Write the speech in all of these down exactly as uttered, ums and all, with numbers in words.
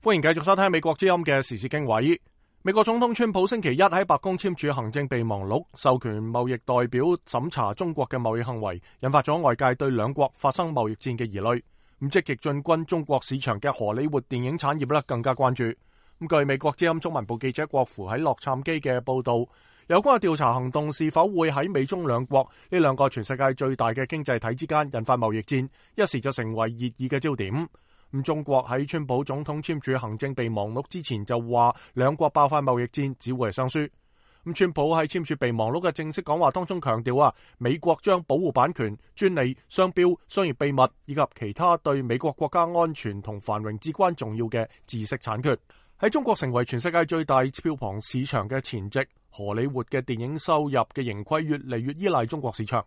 歡迎繼續收聽美國之音嘅時事經緯。美國總統川普星期一喺白宮簽署行政備忘錄，授權貿易代表審查中國嘅貿易行為，引發咗外界對兩國發生貿易戰嘅疑慮。咁積極進軍中國市場嘅荷里活電影產業咧更加關注。咁據美國之音中文部記者郭芙喺洛杉磯嘅報道，有關嘅調查行動是否會喺美中兩國呢兩個全世界最大嘅經濟體之間引發貿易戰，一時就成為熱議嘅焦點。咁中國喺川普總統簽署行政備忘錄之前就話兩國爆發貿易戰只會係雙輸。咁川普喺簽署備忘錄嘅正式講話當中強調啊，美國將保護版權、專利、商標、商業秘密以及其他對美國國家安全同繁榮至關重要嘅知識產權。喺中國成為全世界最大票房市場嘅前夕，荷里活嘅電影收入嘅盈虧越嚟越依賴中國市場。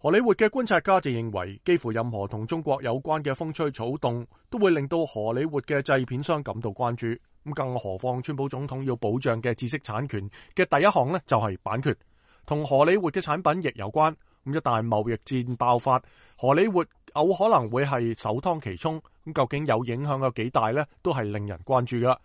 荷里活嘅觀察家就認為，幾乎任何同中國有關嘅風吹草動都會令到荷里活嘅製片商感到關注。咁更何況川普總統要保障嘅知識產權嘅第一項呢，就係版權，同荷里活嘅產品亦有關。咁一旦貿易戰爆發，荷里活有可能會係首當其衝。咁究竟有影響有幾大呢？都係令人關注噶。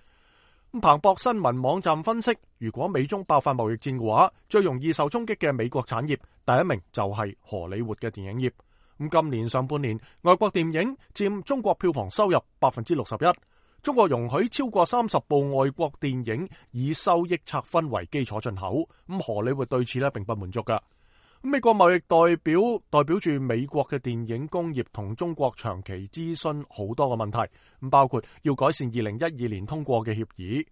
彭博新聞網站分析，如果美中爆發貿易戰嘅話，最容易受衝擊嘅美國產業第一名就係荷里活嘅電影業。咁今年上半年，外國電影佔中國票房收入百分之六十一。中國容許超過三十部外國電影以收益拆分為基礎進口。咁荷里活對此咧並不滿足噶。美國貿易代表代表住美國嘅電影工業同中國長期諮詢好多個問題，咁包括要改善二零一二年通過嘅協議。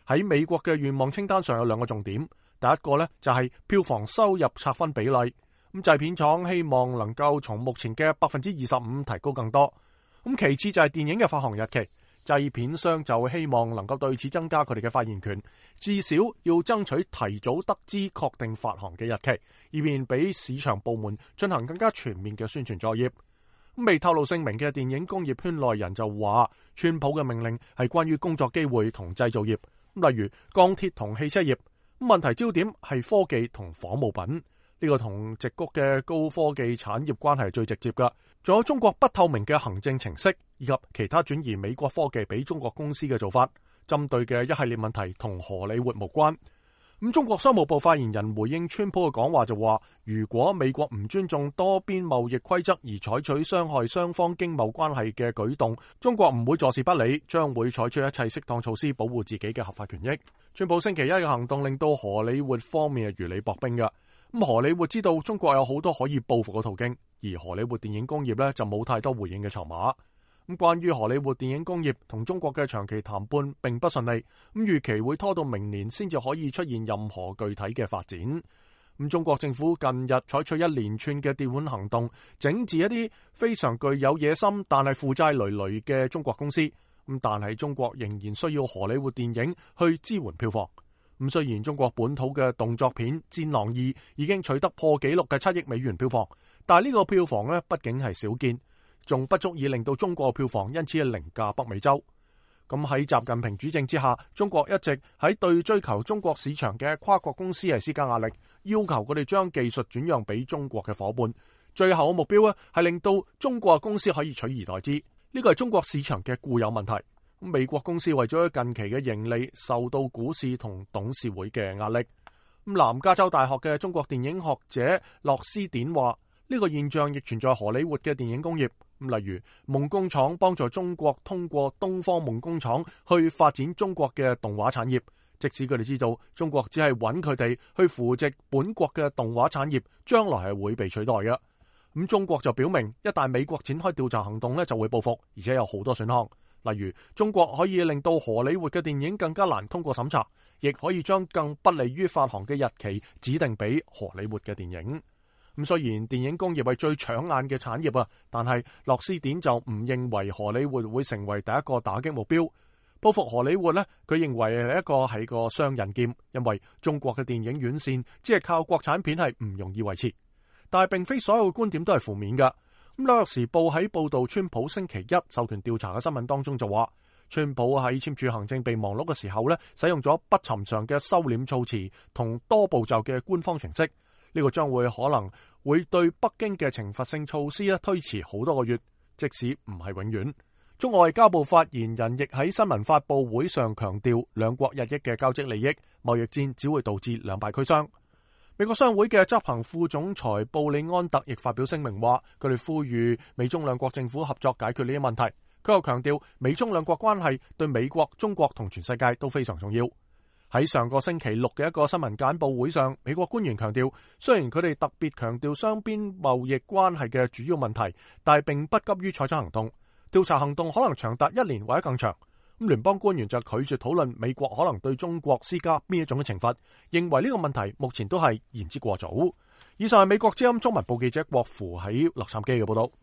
喺美國嘅願望清單上有兩個重點，第一個呢就係票房收入拆分比例，咁製片廠希望能夠從目前嘅百分之二十五提高更多。咁其次就係電影嘅發行日期。製片商就希望能夠對此增加佢哋嘅發言權，至少要爭取提早得知確定發行嘅日期，以便俾市場部門進行更加全面嘅宣傳作業。未透露姓名嘅電影工業圈內人就話，川普嘅命令係關於工作機會同製造業，例如鋼鐵同汽車業。問題焦點係科技同仿冒品。呢個同矽谷嘅高科技產業關係係最直接㗎，仲有中國不透明嘅行政程式，以及其他轉移美國科技俾中國公司嘅做法，針對嘅一系列問題同荷里活無關。咁中國商務部發言人回應川普嘅講話就話，如果美國唔尊重多邊貿易規則而採取傷害雙方經貿關係嘅舉動，中國唔會坐視不理，將會採取一切適當措施保護自己嘅合法權益。川普星期一嘅行動令到荷里活方面係如履薄冰㗎。咁荷里活知道中國有好多可以報復嘅途徑，而荷里活電影工業咧就冇太多回應嘅籌碼。咁關於荷里活電影工業同中國嘅長期談判並不順利，咁預期會拖到明年先至可以出現任何具體嘅發展。咁中國政府近日採取一連串嘅調管行動，整治一啲非常具有野心但係負債累累嘅中國公司。咁但係中國仍然需要荷里活電影去支援票房。咁雖然中國本土嘅動作片《戰狼二》已經取得破紀錄嘅七億美元票房，但係呢個票房咧畢竟係少見，仲不足以令到中國票房因此係凌駕北美洲。咁喺習近平主政之下，中國一直喺對追求中國市場嘅跨國公司係施加壓力，要求佢哋將技術轉讓俾中國嘅伙伴。最後嘅目標咧係令到中國嘅公司可以取而代之。呢個係中國市場嘅固有問題。美國公司為咗近期嘅盈利，受到股市同董事會嘅壓力。咁南加州大學嘅中國電影學者洛斯典話，呢個現象亦存在荷里活嘅電影工業。咁例如夢工廠幫助中國通過東方夢工廠去發展中國嘅動畫產業，即使佢哋知道中國只係揾佢哋去扶植本國嘅動畫產業，將來係會被取代嘅。咁中國就表明，一旦美國展開調查行動咧，就會報復，而且有好多選項。例如，中國可以令到荷里活嘅電影更加難通過審查，亦可以將更不利於發行嘅日期指定俾荷里活嘅電影。咁雖然電影工業係最搶眼嘅產業啊，但係洛斯典就唔認為荷里活會成為第一個打擊目標。報復荷里活呢，佢認為係一個係個雙刃劍，因為中國嘅電影院線只係靠國產片係唔容易維持。但係並非所有嘅觀點都係負面㗎。咁紐約時報喺報道川普星期一授權調查嘅新聞當中就話，川普喺簽署行政備忘錄嘅時候咧，使用咗不尋常嘅收斂措辭同多步驟嘅官方程式。呢、這個將會可能會對北京嘅懲罰性措施咧推遲好多個月，即使唔係永遠。中國外交部發言人亦喺新聞發佈會上強調，兩國日益嘅交織利益，貿易戰只會導致兩敗俱傷。美國商會嘅執行副總裁布里安特亦發表聲明話，佢哋呼籲美中兩國政府合作解決呢啲問題。佢又強調，美中兩國關係對美國、中國同全世界都非常重要。喺上個星期六嘅一個新聞簡報會上，美國官員強調，雖然佢哋特別強調雙邊貿易關係嘅主要問題，但係並不急於採取行動。調查行動可能長達一年或者更長。咁聯邦官員就拒絕討論美國可能對中國施加邊一種嘅懲罰，認為呢個問題目前都係言之過早。以上係美國之音中文部記者郭芙喺洛杉磯嘅報道。